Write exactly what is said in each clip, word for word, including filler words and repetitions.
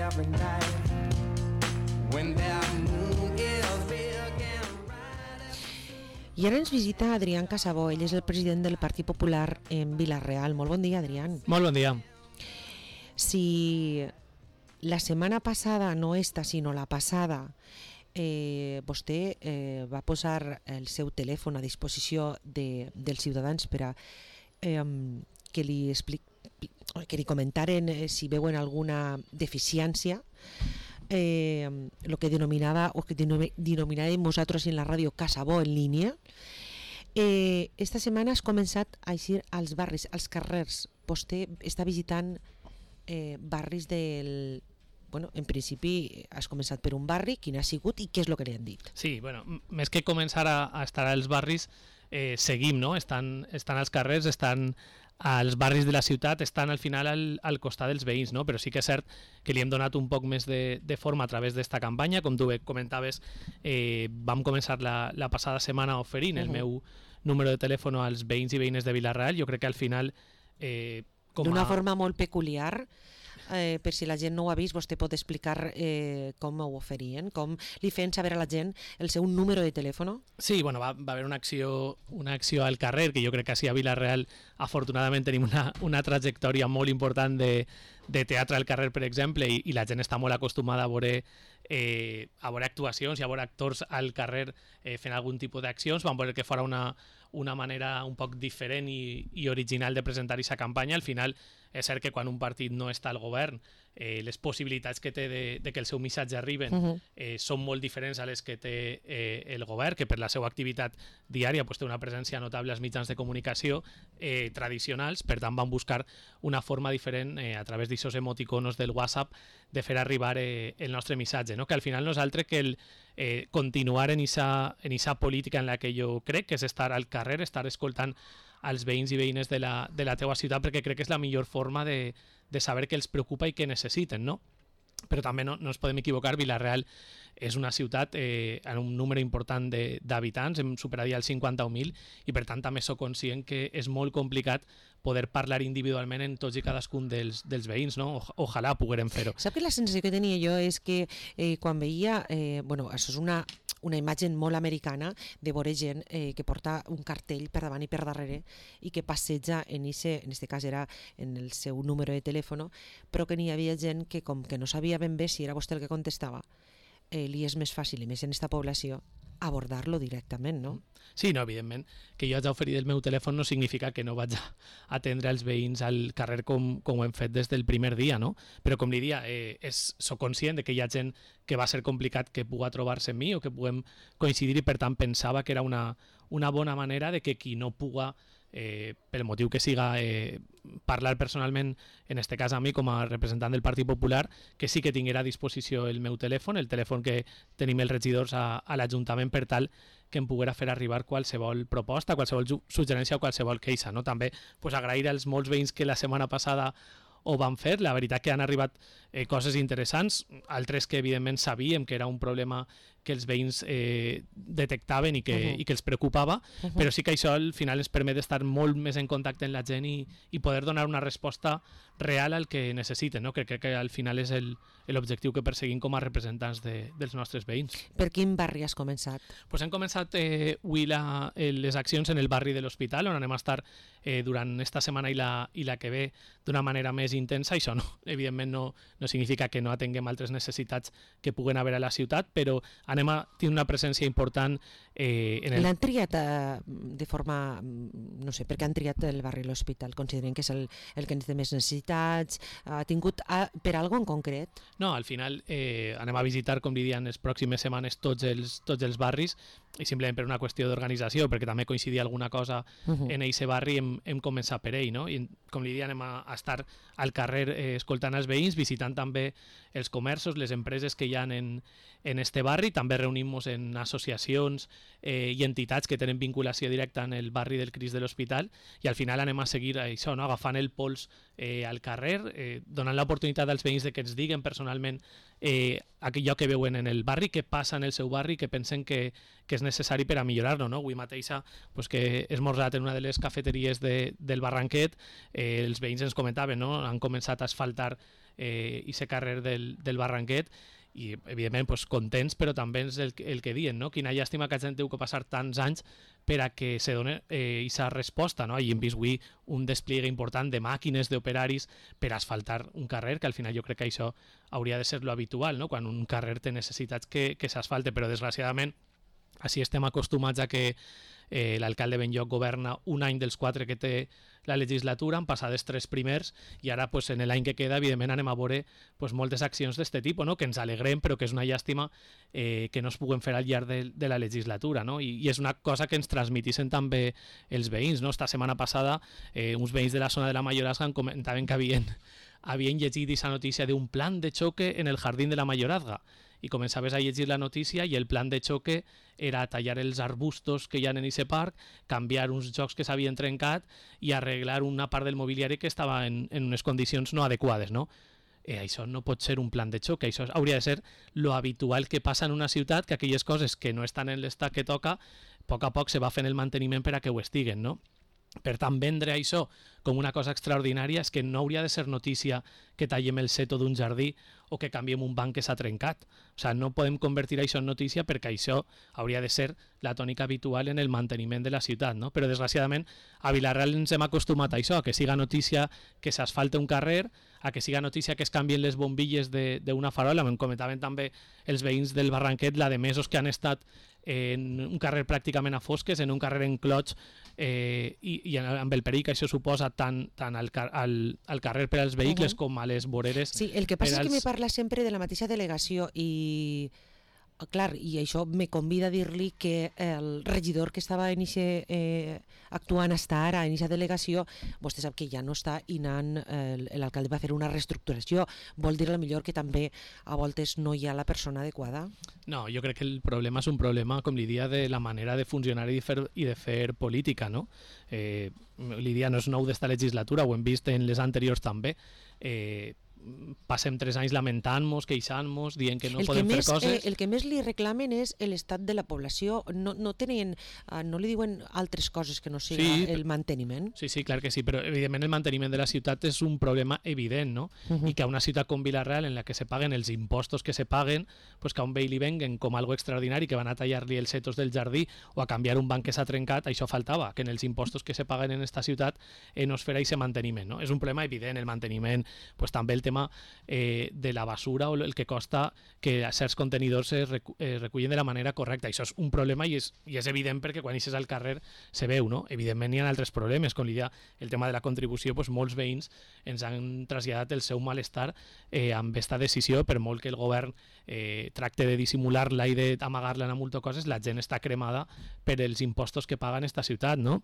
every night when that moon is big and bright. I ara ens visita Adrián Casabó, ell és el president del Partit Popular en Vila-real. Molt bon dia, Adrián. Molt bon dia. Si la setmana passada, no esta, sinó la passada, eh, vostè eh, va posar el seu telèfon a disposició de, dels ciutadans per a eh, que li explic, que li comentaren eh, si veuen alguna deficiència, eh, lo que denominava o que denominàvem nosaltres en la ràdio Casabó en línia. Eh, esta setmana has començat a eixir als barris, als carrers. Vostè està visitant eh, barris del... Bueno, en principi has començat per un barri, quin ha sigut i què és el que li han dit? Sí, bueno, més que començar a, a estar als barris, eh, seguim, no? Estan, estan als carrers, estan als barris de la ciutat, estan al final al, al costat dels veïns, no? Però sí que és cert que li hem donat un poc més de, de forma a través d'esta campanya. Com tu comentaves, eh, vam començar la, la passada setmana oferint el uh-huh. meu número de telèfon als veïns i veïnes de Vila-real. Jo crec que al final... Eh, D'una a... forma molt peculiar, eh, per si la gent no ho ha vist, vostè pot explicar eh, com ho oferien, com li feien saber a la gent el seu número de telèfon? Sí, bueno, va, va haver una acció, una acció al carrer, que jo crec que així a Vila-real afortunadament tenim una, una trajectòria molt important de, de teatre al carrer, per exemple, i, i la gent està molt acostumada a veure, eh, a veure actuacions i a veure actors al carrer eh, fent algun tipus d'accions. Vam veure que fora una, una manera un poc diferent i, i original de presentar aquesta campanya. Al final és cert que quan un partit no està al govern, eh, les possibilitats que té de, de que el seu missatge arriben uh-huh. eh, són molt diferents a les que té eh, el govern, que per la seva activitat diària pues, té una presència notable als mitjans de comunicació eh, tradicionals. Per tant van buscar una forma diferent eh, a través d'aquests emoticonos del WhatsApp de fer arribar eh, el nostre missatge, no? Que al final no és altre que el eh, continuar en esa, en esa política en la que jo crec, que és estar al carrer, estar escoltant als veïns i veïnes de la, de la teua ciutat, perquè crec que és la millor forma de, de saber què els preocupa i què necessiten, no? Però també no, no ens podem equivocar, Vila-real és una ciutat eh, amb un número important d'habitants, hem superat ja els cinquanta mil, i per tant també soc conscient que és molt complicat poder parlar individualment en tots i cadascun dels, dels veïns, no? O, ojalà poguérem fer-ho. Sap que la sensació que tenia jo és que eh, quan veia, eh, bueno, això és una una imatge molt americana de veure gent eh, que porta un cartell per davant i per darrere i que passeja en ese, en este cas era en el seu número de telèfon, però que n'hi havia gent que com que no sabia ben bé si era vostè el que contestava, eh, li és més fàcil, i més en esta població, abordar-lo directament, no? Sí, no, evidentment, que jo haig d'oferir el meu telèfon no significa que no vaig a atendre els veïns al carrer com, com ho hem fet des del primer dia, no? Però com li dia, eh, és, soc conscient de que hi ha gent que va ser complicat que puga trobar-se amb mi o que puguem coincidir, i per tant pensava que era una, una bona manera de que qui no puga Eh, pel motiu que siga eh, parlar personalment, en este cas a mi com a representant del Partit Popular, que sí que tinguera a disposició el meu telèfon, el telèfon que tenim els regidors a, a l'Ajuntament, per tal que em poguera fer arribar qualsevol proposta, qualsevol suggerència o qualsevol queixa, no? També pues, agrair als molts veïns que la setmana passada ho van fer. La veritat que han arribat eh, coses interessants, altres que evidentment sabíem que era un problema que els veïns eh, detectaven i que, uh-huh. i que els preocupava, uh-huh. però sí que això al final ens permet estar molt més en contacte amb la gent i, i poder donar una resposta real al que necessiten, no? Que crec que al final és l'objectiu que perseguim com a representants de, dels nostres veïns. Per quin barri has començat? Pues hem començat eh, avui la, les accions en el barri de l'Hospital, on anem a estar eh, durant esta setmana i la, i la que ve d'una manera més intensa. Això no, evidentment no, no significa que no atenguem altres necessitats que puguen haver a la ciutat, però anem a tenir una presència important eh, en el... L'han triat eh, de forma, no sé, per què han triat el barri de l'Hospital? Consideren que és el, el que té més necessitats? Ha tingut a, per algo en concret? No, al final eh, anem a visitar, com li diuen, les pròximes setmanes tots els, tots els barris, i simplement per una qüestió d'organització, perquè també coincidia alguna cosa uh-huh. en eixe barri, hem, hem començat per ell, no? I com li diuen, anem a, a estar al carrer eh, escoltant els veïns, visitant també els comerços, les empreses que hi ha en, en este barri. També reunim-nos en associacions eh, i entitats que tenen vinculació directa en el barri del Crist de l'Hospital, i al final anem a seguir això, no? Agafant el pols eh, al carrer, eh, donant l'oportunitat als veïns de que ens diguen personalment eh, allò que veuen en el barri, què passa en el seu barri, que pensen que, que és necessari per a millorar-lo, no? Avui mateixa pues, que he esmorzat en una de les cafeteries de, del Barranquet, eh, els veïns ens comentaven, no? Han començat a asfaltar eh, i ser carrer del, del Barranquet, i evidentment pues, contents, però també és el, el que diuen, no? Quina llàstima que la gent té que passar tants anys per a que se doni aquesta eh, resposta, no? I hem vist avui un despliegue important de màquines, d'operaris per asfaltar un carrer, que al final jo crec que això hauria de ser lo habitual, no? Quan un carrer té necessitats que, que s'asfalte, però desgraciadament així estem acostumats a que eh, l'alcalde Benlloc governa un any dels quatre que té la legislatura, han passat els tres primers i ara pues, en l'any que queda evidentment anem a veure pues, moltes accions d'aquest tipus, no? Que ens alegrem però que és una llàstima eh, que no es puguen fer al llarg de, de la legislatura, no? I, i és una cosa que ens transmitissen també els veïns, no? Esta setmana passada eh, uns veïns de la zona de la Mayorazga comentaven que havien, havien llegit aquesta notícia d'un plan de xoque en el jardín de la Mayorazga i començaves a llegir la notícia i el plan de xoque era tallar els arbustos que hi ha en aquest parc, canviar uns jocs que s'havien trencat i arreglar una part del mobiliari que estava en, en unes condicions no adequades, no? Eh, això no pot ser un plan de xoc, això hauria de ser lo habitual que passa en una ciutat, que aquelles coses que no estan en l'estat que toca, a poc a poc se va fent el manteniment per a que ho estiguen, no? Per tant, vendre això com una cosa extraordinària és que no hauria de ser notícia que tallem el seto d'un jardí o que canviem un banc que s'ha trencat. O sigui, no podem convertir això en notícia perquè això hauria de ser la tònica habitual en el manteniment de la ciutat, no? Però desgraciadament a Vila-real ens hem acostumat a això, a que siga notícia que s'asfalte un carrer, a que siga notícia que es canvien les bombilles d'una farola. Em comentaven també els veïns del Barranquet la de mesos que han estat en un carrer pràcticament a fosques, en un carrer en clots, eh, i, i amb el perill que això suposa tant, tant al, al, al carrer per als vehicles uh -huh. com a les voreres. Sí, el que passa és als... que me parla sempre de la mateixa delegació i... Clar, i això me convida a dir-li que el regidor que estava en ixe, eh, actuant hasta ara en aquesta delegació, vostè sap que ja no està i l'alcalde va fer una reestructuració. Vol dir millor que també a voltes no hi ha la persona adequada? No, jo crec que el problema és un problema, com li dia, de la manera de funcionar i de fer, i de fer política, no? Eh, li dia no és nou d'esta legislatura, ho hem vist en les anteriors també. Eh, passem tres anys lamentant-nos, queixant-nos, dient que no el podem que fer més, coses. Eh, el que més li reclamen és l'estat de la població. No, no, tenen, uh, no li diuen altres coses que no siga sí, el manteniment? Sí, sí, clar que sí, però evidentment el manteniment de la ciutat és un problema evident, no? Uh -huh. I que a una ciutat com Vila-real, en la que se paguen els impostos que se paguen, pues que a un veí li venguen com algo extraordinari, que van a tallar-li els setos del jardí o a canviar un banc que s'ha trencat, això faltava, que en els impostos que se paguen en esta ciutat eh, no es farà aquest manteniment, no? És un problema evident, el manteniment, pues també el tema eh, de la basura o el que costa que certs contenidors es recu eh, recullen de la manera correcta. Això és un problema i és, i és evident perquè quan eixes al carrer se veu, no? Evidentment hi ha altres problemes, com l'idea, el tema de la contribució, doncs molts veïns ens han traslladat el seu malestar eh, amb aquesta decisió, per molt que el govern eh, tracte de dissimular-la i d'amagar-la en moltes coses, la gent està cremada per els impostos que paga en esta ciutat, no?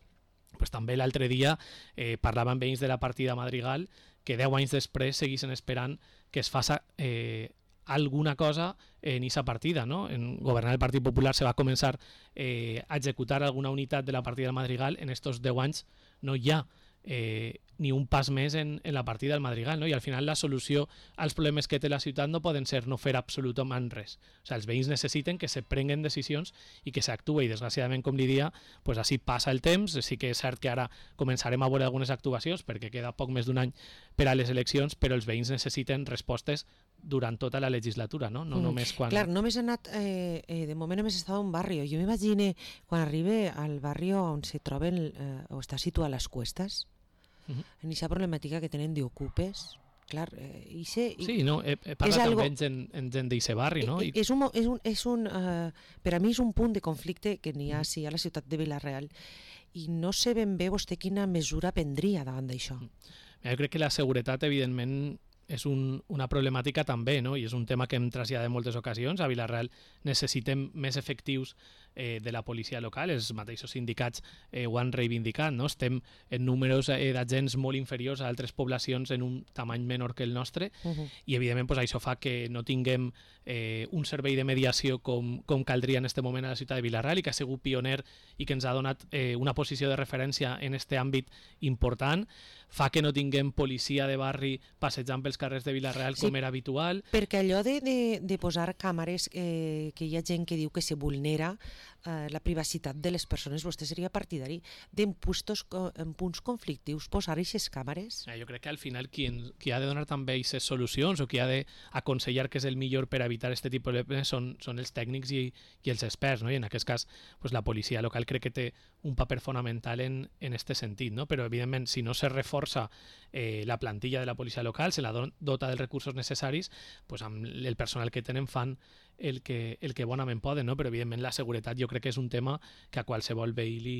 Pues també l'altre dia eh, parlaven veïns de la partida Madrigal que deu anys després seguissin esperant que es faça eh, alguna cosa en aquesta partida, no? En governar el Partit Popular se va començar eh, a executar alguna unitat de la partida del Madrigal. En estos deu anys no hi ha eh, ni un pas més en, en la partida del Madrigal, no? I al final la solució als problemes que té la ciutat no poden ser no fer absolutament res. O sigui, els veïns necessiten que se prenguen decisions i que s'actue, i desgraciadament, com li dia, pues així passa el temps. Sí que és cert que ara començarem a veure algunes actuacions perquè queda poc més d'un any per a les eleccions, però els veïns necessiten respostes durant tota la legislatura, no? No mm. només quan... Clar, només he anat, eh, eh, de moment només he estat a un barri. Jo m'imagino quan arribe al barri on se troben, eh, o està situat les Cuestas, uh -huh. en aquesta problemàtica que tenen d'ocupes, clar, eh, i se, sí, no, he, he parlat algo, amb gent, en gent d'aquest barri, no? I... És un, és un, és un, uh, per a mi és un punt de conflicte que n'hi ha sí, a la ciutat de Vila-real, i no sé ben bé vostè quina mesura prendria davant d'això. Jo crec que la seguretat, evidentment, és un, una problemàtica també, no? I és un tema que hem traslladat en moltes ocasions. A Vila-real necessitem més efectius eh, de la policia local, els mateixos sindicats eh, ho han reivindicat, no? Estem en números eh, d'agents molt inferiors a altres poblacions en un tamany menor que el nostre, uh -huh. i evidentment pues, això fa que no tinguem eh, un servei de mediació com, com caldria en aquest moment a la ciutat de Vila-real, i que ha sigut pioner i que ens ha donat eh, una posició de referència en aquest àmbit important. Fa que no tinguem policia de barri passejant pels carrers de Vila-real com sí, era habitual. Perquè allò de, de, de posar càmeres, eh, que hi ha gent que diu que se vulnera eh, la privacitat de les persones, vostè seria partidari d'en punts, en punts conflictius posar aquestes càmeres? Jo crec que al final qui, en, qui ha de donar també aquestes solucions o qui ha d'aconsellar que és el millor per evitar aquest tipus de problemes són, són els tècnics i, i els experts, no? I en aquest cas pues, la policia local crec que té un paper fonamental en en este sentit, no? Però evidentment si no se reforça eh, la plantilla de la policia local, se la dota dels recursos necessaris, pues, amb el personal que tenen fan el que, el que bonament poden, no? Però evidentment la seguretat jo crec que és un tema que a qualsevol veí li,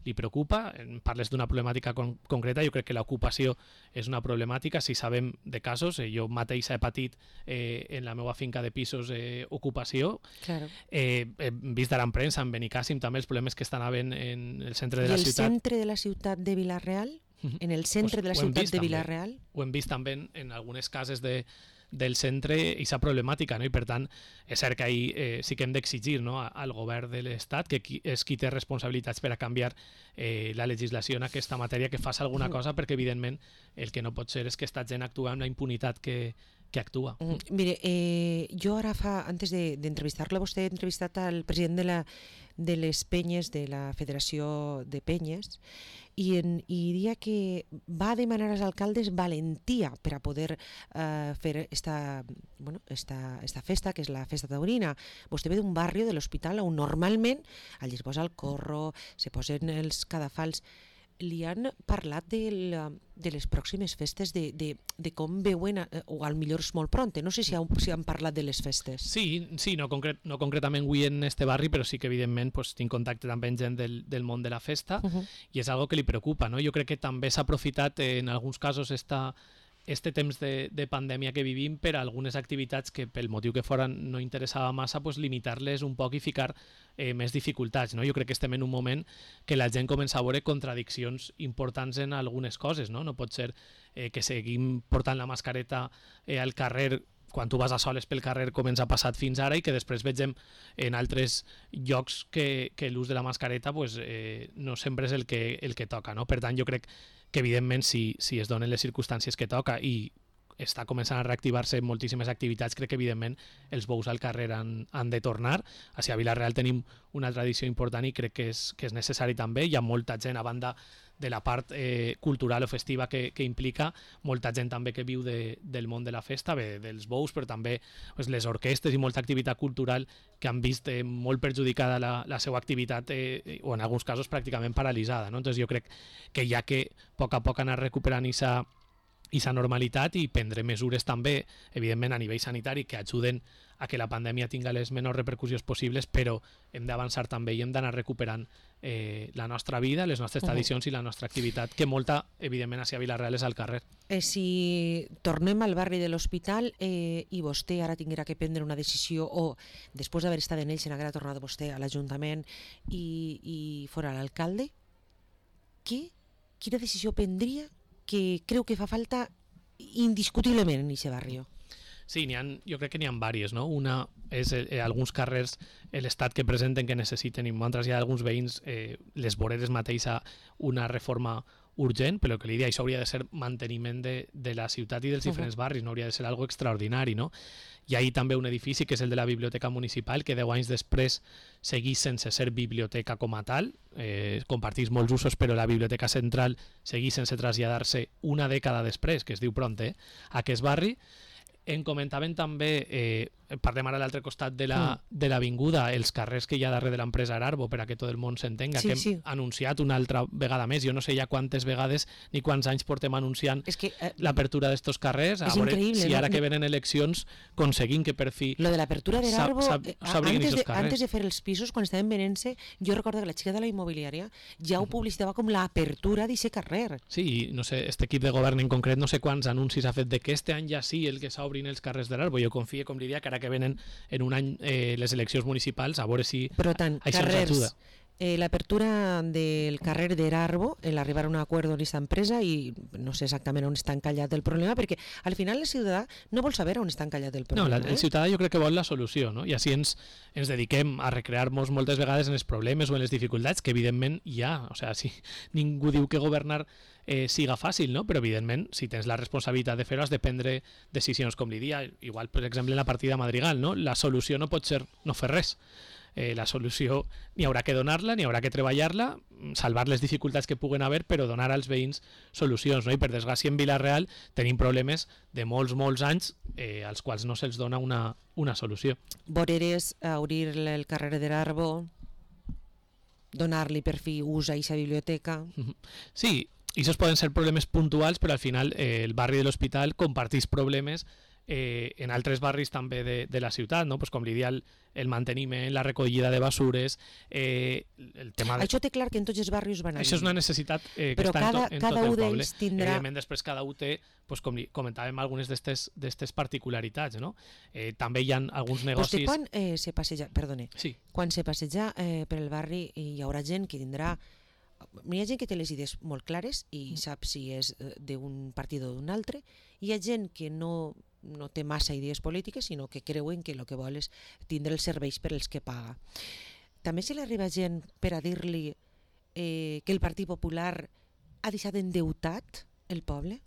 li preocupa. Parles d'una problemàtica con concreta, jo crec que l'ocupació és una problemàtica, si sabem de casos, eh, jo mateix he patit eh, en la meva finca de pisos eh, ocupació, claro. eh, he vist ara en premsa, en Benicàssim també els problemes que estan havent en el centre de I la el ciutat. I el centre de la ciutat de Vilareal? En el centre pues, de la ciutat de Vilareal? També. Ho hem vist també en, en algunes cases de del centre i sa problemàtica, no? I per tant és cert que ahir eh, sí que hem d'exigir, no? al govern de l'Estat, que qui, és qui té responsabilitats per a canviar eh, la legislació en aquesta matèria, que faci alguna cosa, perquè evidentment el que no pot ser és que esta gent actua amb la impunitat que, que actua. Mm, mire, eh, jo ara fa, antes d'entrevistar-lo, vostè ha entrevistat al president de, la, de les penyes, de la Federació de Penyes, i, en, i diria que va demanar als alcaldes valentia per a poder eh, fer esta, bueno, esta, esta festa, que és la festa taurina. Vostè ve d'un barri de l'Hospital on normalment allí es posa el corro, se posen els cadafals. Li han parlat de, la, de les pròximes festes, de, de, de com veuen, o al millor és molt pront, no sé si han, si han parlat de les festes. Sí, sí, no, concret, no concretament avui en este barri, però sí que evidentment pues, tinc contacte també amb gent del, del món de la festa, uh -huh. i és algo que li preocupa, no? Jo crec que també s'ha aprofitat eh, en alguns casos esta este temps de, de pandèmia que vivim per a algunes activitats que pel motiu que foren no interessava massa, pues, limitar-les un poc i ficar eh, més dificultats, no? Jo crec que estem en un moment que la gent comença a veure contradiccions importants en algunes coses, no? No pot ser eh, que seguim portant la mascareta eh, al carrer quan tu vas a soles pel carrer com ens ha passat fins ara i que després vegem en altres llocs que, que l'ús de la mascareta pues, eh, no sempre és el que, el que toca, no? Per tant, jo crec que evidentment si, si es donen les circumstàncies que toca i està començant a reactivar-se moltíssimes activitats, crec que evidentment els bous al carrer han, han de tornar. Així a Vilareal tenim una tradició important i crec que és, que és necessari també. Hi ha molta gent, a banda de la part eh, cultural o festiva que, que implica, molta gent també que viu de, del món de la festa, bé, dels bous, però també pues, les orquestes i molta activitat cultural que han vist eh, molt perjudicada la, la seva activitat eh, o en alguns casos pràcticament paralitzada, no? Entonces jo crec que hi ha que a poc a poc anar recuperant aquesta i sa normalitat i prendre mesures també, evidentment a nivell sanitari, que ajuden a que la pandèmia tinga les menors repercussions possibles, però hem d'avançar també i hem d'anar recuperant eh, la nostra vida, les nostres tradicions uh -huh. i la nostra activitat, que molta, evidentment, a Vilareal és al carrer. Eh, si tornem al barri de l'Hospital eh, i vostè ara tinguera que prendre una decisió o després d'haver estat en ells se n'haguera tornat vostè a l'Ajuntament i, i fora l'alcalde, qui, quina decisió prendria que creu que fa falta indiscutiblement en aquest barri? Sí, ha, jo crec que n'hi ha diverses, no? Una és eh, alguns carrers l'estat que presenten que necessiten i m'han traslladat alguns veïns eh, les voreres mateixa una reforma urgent, però que l'idea això hauria de ser manteniment de, de la ciutat i dels diferents uh -huh. barris, no hauria de ser algo extraordinari, no? Hi ha també un edifici que és el de la Biblioteca Municipal que deu anys després seguís sense ser biblioteca com a tal, eh, compartís molts usos, però la Biblioteca Central seguís sense traslladar-se una dècada després, que es diu pront, eh, a aquest barri. En comentaven també, eh, parlem ara a l'altre costat de la, mm. de l'avinguda, els carrers que hi ha darrere de l'empresa Ararbo, per a que tot el món s'entenga, sí, que hem sí. anunciat una altra vegada més. Jo no sé ja quantes vegades ni quants anys portem anunciant es que, eh, l'apertura d'estos carrers. És a veure increïble, si ara no? que venen eleccions aconseguim que per fi... Lo de l'apertura de l'Arbo, eh, antes, de, antes de fer els pisos, quan estaven venent-se, jo recordo que la xica de la immobiliària ja ho publicitava com l'apertura d'aquest carrer. Sí, no sé, este equip de govern en concret, no sé quants anuncis ha fet de que este any ja sí el que s'obrin els carrers de l'Arbo. Jo confio, com li diria, que ara que venen en un any eh, les eleccions municipals, a veure si Però tant, això carrers, ens ajuda. Eh, l'apertura del carrer d'Erarbo, el arribar a un acord amb aquesta empresa, i no sé exactament on està encallat el problema, perquè al final el ciutadà no vol saber on està encallat el problema. No, la, el ciutadà jo crec que vol la solució, no? I així ens, ens dediquem a recrear-nos moltes vegades en els problemes o en les dificultats, que evidentment hi ha. O sigui, si ningú diu que governar eh, siga fàcil, no? Però evidentment, si tens la responsabilitat de fer-ho, has de prendre decisions com li dia. Igual, per exemple, en la partida Madrigal, no? La solució no pot ser no fer res. eh, la solució n'hi haurà que donar-la, n'hi haurà que treballar-la, salvar les dificultats que puguen haver, però donar als veïns solucions, no? I per desgràcia en Vila-real tenim problemes de molts, molts anys eh, als quals no se'ls dona una, una solució. Voreres, obrir el carrer de l'Arbo, donar-li per fi ús a aquesta biblioteca. Sí, i això poden ser problemes puntuals, però al final eh, el barri de l'Hospital comparteix problemes eh, en altres barris també de, de la ciutat, no? Pues com li dia el, el manteniment, la recollida de basures, eh, el tema... De... Això té clar que en tots els barris van anar. Això és una necessitat eh, que però està cada, en, to, en cada tot el un poble. d'ells tindrà... Evidentment, després cada un té, pues, com li comentàvem, algunes d'aquestes particularitats, no? Eh, també hi ha alguns negocis... Vostè quan eh, se passeja, perdone, sí. quan se passeja eh, per el barri hi haurà gent que tindrà... Hi ha gent que té les idees molt clares i mm. sap si és d'un partit o d'un altre. Hi ha gent que no, no té massa idees polítiques, sinó que creuen que el que vol és tindre els serveis per als que paga. També se li arriba gent per a dir-li eh, que el Partit Popular ha deixat endeutat el poble?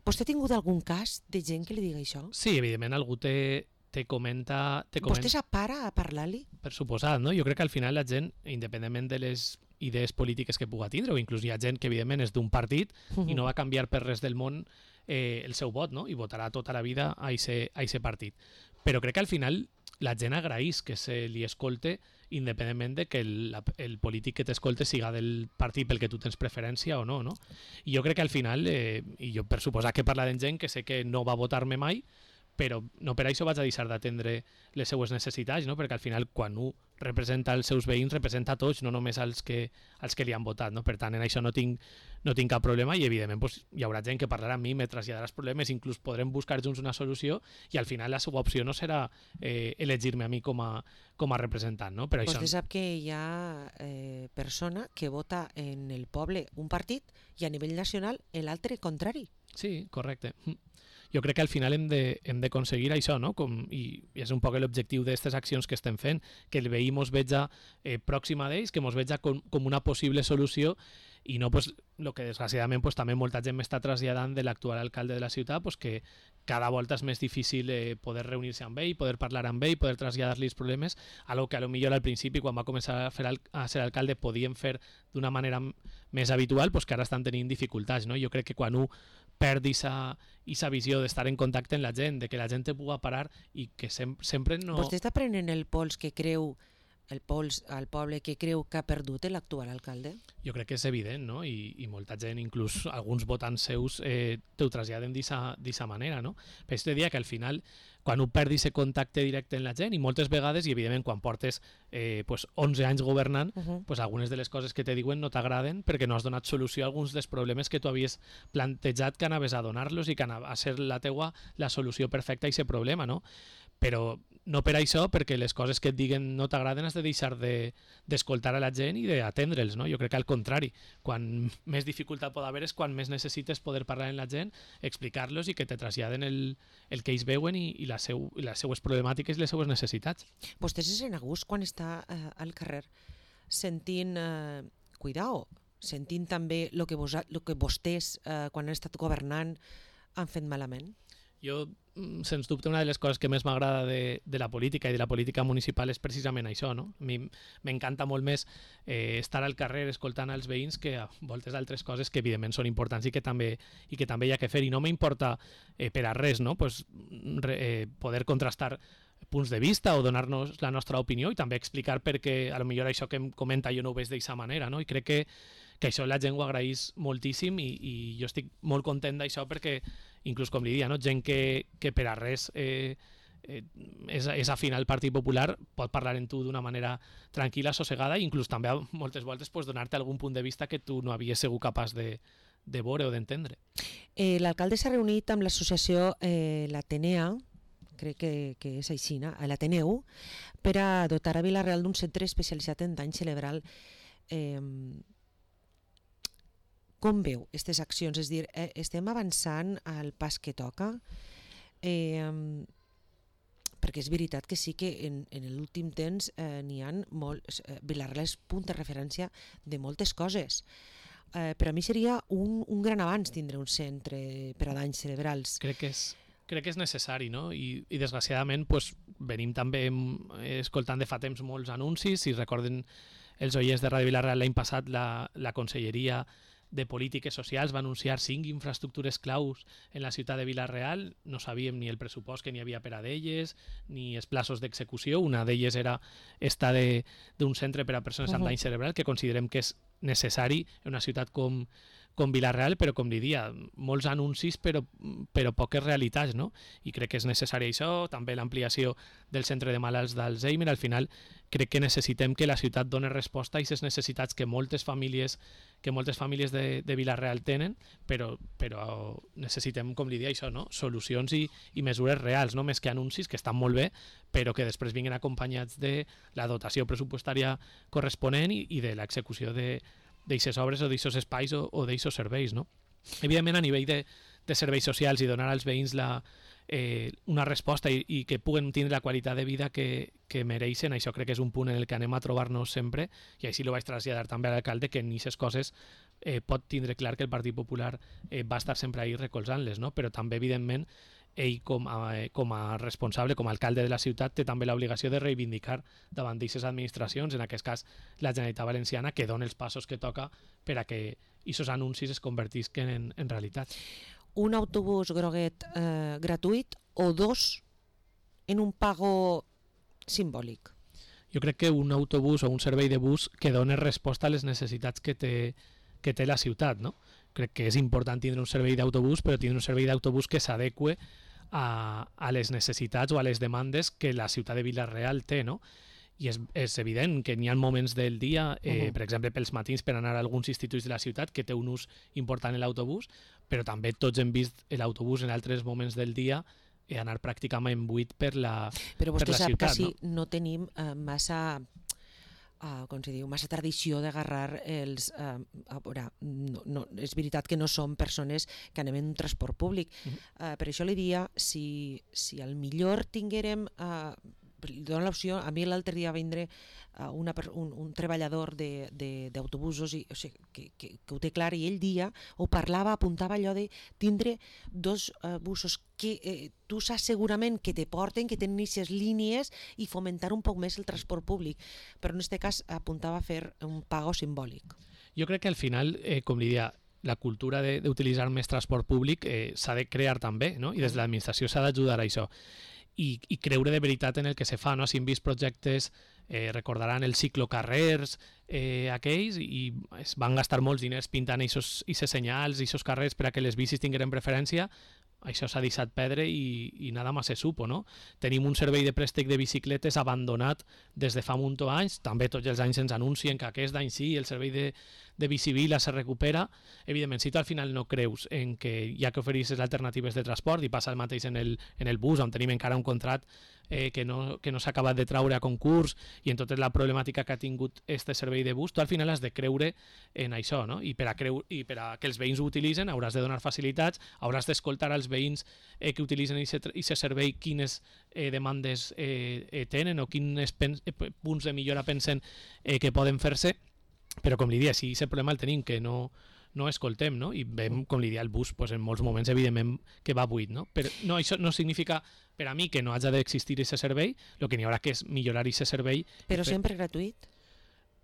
Vostè ha tingut algun cas de gent que li diga això? Sí, evidentment algú te, te comenta... Te comenta... Vostè s'apara a parlar-li? Per suposat, no? Jo crec que al final la gent, independentment de les idees polítiques que puga tindre, o inclús hi ha gent que evidentment és d'un partit uh-huh. i no va canviar per res del món eh, el seu vot, no? I votarà tota la vida a aquest partit. Però crec que al final la gent agraeix que se li escolte independentment de que el, el polític que t'escolte siga del partit pel que tu tens preferència o no, no? I jo crec que al final, eh, i jo per suposar que parla de gent que sé que no va votar-me mai, però no per això vaig a deixar d'atendre les seues necessitats, no? Perquè al final quan un representa els seus veïns representa a tots, no només als que, als que li han votat, no? Per tant, en això no tinc, no tinc cap problema i evidentment pues, hi haurà gent que parlarà amb mi, me traslladarà els problemes, inclús podrem buscar junts una solució i al final la seva opció no serà eh, elegir-me a mi com a, com a representant, no? Però Vostè això... sap que hi ha eh, persona que vota en el poble un partit i a nivell nacional l'altre contrari. Sí, correcte. Jo crec que al final hem de, hem d'aconseguir això, no? Com, i, i és un poc l'objectiu d'aquestes accions que estem fent, que el veí mos veja eh, pròxim a ells, que mos veja com, com una possible solució i no pues, el que desgraciadament pues, també molta gent m'està traslladant de l'actual alcalde de la ciutat, pues, que cada volta és més difícil eh, poder reunir-se amb ell, poder parlar amb ell, poder traslladar-li els problemes, algo que a lo millor al principi, quan va començar a, fer al, a ser alcalde, podíem fer d'una manera més habitual, pues, que ara estan tenint dificultats. No? Jo crec que quan un perd aquesta visió d'estar en contacte amb la gent, de que la gent te puga parar i que sem sempre no... Vostè està prenent el pols que creu, el pols al poble que creu que ha perdut l'actual alcalde? Jo crec que és evident, no? I, i molta gent, inclús alguns votants seus, eh, te ho traslladen d'aquesta manera, no? Per això te dia que al final, quan un perdi aquest contacte directe amb la gent, i moltes vegades, i evidentment quan portes eh, pues onze anys governant, uh -huh. pues algunes de les coses que te diuen no t'agraden perquè no has donat solució a alguns dels problemes que tu havies plantejat que anaves a donar-los i que anava a ser la teua la solució perfecta a aquest problema, no? Però no per això, perquè les coses que et diguen no t'agraden has de deixar d'escoltar de, a la gent i d'atendre'ls, no? Jo crec que al contrari, quan més dificultat pot haver és quan més necessites poder parlar amb la gent, explicar-los i que te traslladen el, el que ells veuen i, i, la seu, i les seues problemàtiques i les seues necessitats. Vostè se sent a gust quan està eh, al carrer sentint, eh, cuidao, sentint també el que, vos, lo que vostès, eh, quan han estat governant, han fet malament? Jo, sens dubte, una de les coses que més m'agrada de, de la política i de la política municipal és precisament això, no? A mi m'encanta molt més eh, estar al carrer escoltant els veïns que a moltes altres coses que evidentment són importants i que també, i que també hi ha que fer. I no m'importa eh, per a res, no? Pues, re, eh, poder contrastar punts de vista o donar-nos la nostra opinió i també explicar perquè a lo millor això que em comenta jo no ho veig d'aquesta manera, no? I crec que, que això la gent ho agraeix moltíssim i, i jo estic molt content d'això perquè inclús com li dia, no? Gent que, que per a res eh, eh, és, és afina al Partit Popular pot parlar amb tu d'una manera tranquil·la, sossegada i inclús també moltes voltes pues, donar-te algun punt de vista que tu no havies sigut capaç de, de veure o d'entendre. Eh, L'alcalde s'ha reunit amb l'associació eh, l'Atenea, crec que, que és així, a l'Ateneu, per a dotar a Vila-real d'un centre especialitzat en dany cerebral. Eh, com veu aquestes accions? És dir, eh, estem avançant al pas que toca? Eh, perquè és veritat que sí que en, en l'últim temps eh, n'hi ha molts... Eh, Vila-real és punt de referència de moltes coses. Eh, per a mi seria un, un gran avanç tindre un centre per a danys cerebrals. Crec que és crec que és necessari, no? I, i desgraciadament pues, venim també escoltant de fa temps molts anuncis. Si recorden els oients de Ràdio Vila-real l'any passat, la, la Conselleria de Polítiques Socials va anunciar cinc infraestructures claus en la ciutat de Vila-real. No sabíem ni el pressupost que n'hi havia per a d'elles, ni els plaços d'execució. Una d'elles era esta d'un centre per a persones amb dany cerebral, que considerem que és necessari en una ciutat com, com Vila-real, però com diria, molts anuncis però, però poques realitats, no? I crec que és necessari això, també l'ampliació del centre de malalts d'Alzheimer. Al final crec que necessitem que la ciutat doni resposta a aquestes necessitats que moltes famílies que moltes famílies de, de Vila-real tenen, però, però necessitem, com li dia, això, no? Solucions i, i mesures reals, no? Més que anuncis, que estan molt bé, però que després vinguin acompanyats de la dotació pressupostària corresponent i, i de l'execució de d'aixes obres o d'aixos espais o, o d'aixos serveis, no? Evidentment, a nivell de, de serveis socials i donar als veïns la, eh, una resposta i, i que puguen tindre la qualitat de vida que, que mereixen, això crec que és un punt en el que anem a trobar-nos sempre, i així ho vaig traslladar també a l'alcalde, que en aquestes coses eh, pot tindre clar que el Partit Popular eh, va estar sempre ahí recolzant-les, no? Però també, evidentment, ell com a, com a responsable, com a alcalde de la ciutat, té també l'obligació de reivindicar davant d'aquestes administracions, en aquest cas la Generalitat Valenciana, que dona els passos que toca per a que aquests anuncis es convertisquen en, en realitat. Un autobús groguet eh, gratuït o dos en un pago simbòlic? Jo crec que un autobús o un servei de bus que doni resposta a les necessitats que té, que té la ciutat, no? Crec que és important tindre un servei d'autobús, però tindre un servei d'autobús que s'adeqüe a, a les necessitats o a les demandes que la ciutat de Vila-real té, no? I és, és evident que n'hi ha moments del dia, eh, uh -huh. per exemple, pels matins per anar a alguns instituts de la ciutat, que té un ús important en l'autobús, però també tots hem vist l'autobús en altres moments del dia eh, anar pràcticament buit per la, però vostè per la sap ciutat. Que si no, no tenim eh, massa... Uh, com se diu, massa tradició d'agarrar els... Uh, a veure, no, no, és veritat que no som persones que anem en un transport públic. Uh, per això li diria, si, si al millor tinguérem... Uh, li dono l'opció, a mi l'altre dia va vindre uh, una, un, un treballador d'autobusos, o sigui, que, que, que ho té clar, i ell dia ho parlava, apuntava allò de tindre dos uh, busos que eh, tu saps segurament que te porten, que tenen aquestes línies, i fomentar un poc més el transport públic, però en aquest cas apuntava a fer un pago simbòlic. Jo crec que al final, eh, com li dia, la cultura d'utilitzar més transport públic eh, s'ha de crear també, no? I des de l'administració s'ha d'ajudar a això. I, i creure de veritat en el que se fa, no? Si hem vist projectes, eh, recordaran els ciclocarrers eh, aquells, i es van gastar molts diners pintant aquests senyals i aquests carrers per a que les bicis tingueren preferència. Això s'ha deixat perdre i, i nada más se supo, no? Tenim un servei de préstec de bicicletes abandonat des de fa un munt d'anys, també tots els anys ens anuncien que aquest any sí, el servei de, de Bicivila se recupera. Evidentment, si tu al final no creus en que hi ha que oferir les alternatives de transport, i passa el mateix en el, en el bus, on tenim encara un contracte eh, que no, que no s'ha acabat de traure a concurs, i en tota la problemàtica que ha tingut este servei de bus, tu al final has de creure en això, no? I per a, creu, i per a que els veïns ho utilitzen hauràs de donar facilitats, hauràs d'escoltar als veïns eh, que utilitzen aquest servei quines eh, demandes eh, eh, tenen o quins eh, punts de millora pensen eh, que poden fer-se, però com li dia, si aquest problema el tenim, que no, no escoltem, no? I veiem, com li dia, el bus pues, en molts moments evidentment que va buit, no? Però no, això no significa per a mi que no hagi d'existir aquest servei, el que n'hi haurà que és millorar aquest servei. Però sempre gratuït?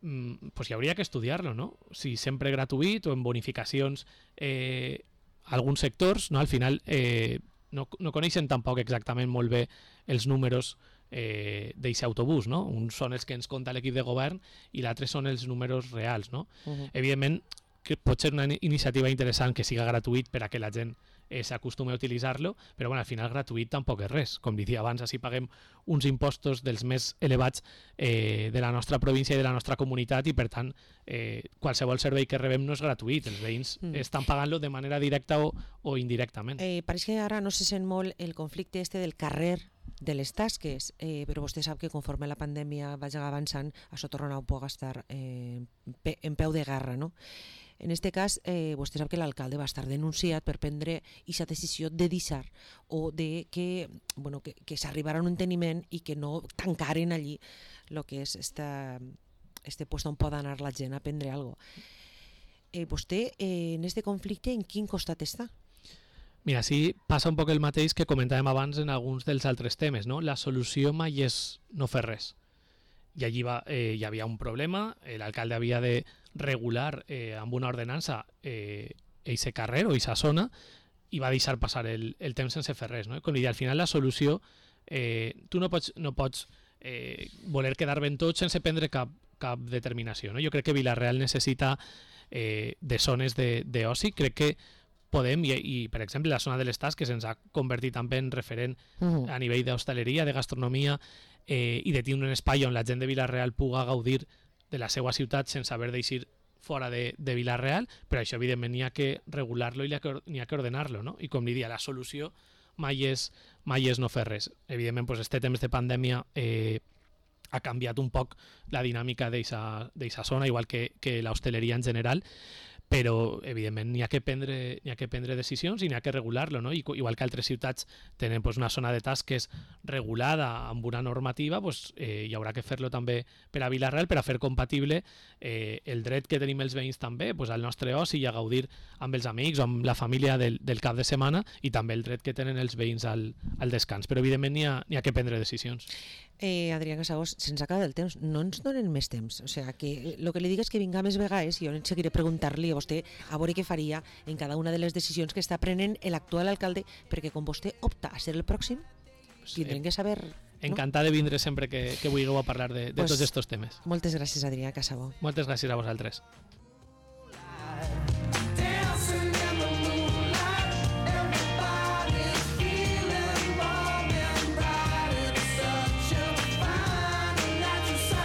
Mm, pues hi hauria que estudiar-lo, no? Si sempre gratuït o en bonificacions eh, alguns sectors, no? Al final eh, no, no coneixen tampoc exactament molt bé els números eh, d'aquest autobús, no? Uns són els que ens compta l'equip de govern i l'altre són els números reals, no? Uh-huh. Evidentment que pot ser una iniciativa interessant que siga gratuït per a que la gent eh, s'acostumi a utilitzar-lo, però bueno, al final gratuït tampoc és res. Com diria abans, així paguem uns impostos dels més elevats eh, de la nostra província i de la nostra comunitat, i per tant eh, qualsevol servei que rebem no és gratuït, els veïns mm. estan pagant-lo de manera directa o, o indirectament. Eh, pareix que ara no se sent molt el conflicte este del carrer de les tasques, eh, però vostè sap que conforme la pandèmia vagi avançant, això torna a poder estar eh, en peu de guerra, no? En aquest cas, eh, vostè sap que l'alcalde va estar denunciat per prendre aquesta decisió de deixar o de que, bueno, que, que s'arribara a un enteniment i que no tancaren allí el que és esta, este puesto on pot anar la gent a prendre alguna cosa. Eh, vostè, eh, en aquest conflicte, en quin costat està? Mira, sí passa un poc el mateix que comentàvem abans en alguns dels altres temes, no? La solució mai és no fer res. I allí va, eh, hi havia un problema, eh, l'alcalde havia de regular eh, amb una ordenança eh, eixe carrer o eixa zona i va deixar passar el, el temps sense fer res. No? Com li deia, al final la solució, eh, tu no pots, no pots eh, voler quedar ben tot sense prendre cap, cap determinació. No? Jo crec que Vila-real necessita eh, de zones d'oci, crec que podem, i, i per exemple la zona de l'Estàs, que se'ns ha convertit també en referent uh-huh. a nivell d'hostaleria, de gastronomia, eh, i de tindre un espai on la gent de Vila-real puga gaudir de la seva ciutat sense haver d'eixir fora de, de Vila-real, però això evidentment n'hi ha que regular-lo i n'hi ha que ordenar-lo, no? I com li dia, la solució mai és, mai és no fer res. Evidentment, pues, este temps de pandèmia eh, ha canviat un poc la dinàmica d'eixa zona, igual que, que l'hostaleria en general, però evidentment n'hi ha que prendre n'hi ha que prendre decisions i n'hi ha que regular-lo, no? I, igual que altres ciutats tenen pues, una zona de tasques regulada amb una normativa, pues, eh, hi haurà que fer-lo també per a Vila-real per a fer compatible eh, el dret que tenim els veïns també pues, al nostre oci i a gaudir amb els amics o amb la família del, del cap de setmana, i també el dret que tenen els veïns al, al descans, però evidentment n'hi ha, n'hi ha que prendre decisions. Eh, Adrià Casagos, se'ns acaba el temps, no ens donen més temps, o sea, que el que li digues que vinga més vegades, jo seguiré preguntar-li a vostè a veure què faria en cada una de les decisions que està prenent l'actual alcalde, perquè com vostè opta a ser el pròxim, tindrem que saber... Encantat de vindre sempre que, que vulgueu a parlar de, de pues, tots aquests temes. Moltes gràcies, Adrià Casagos. Moltes gràcies a vosaltres.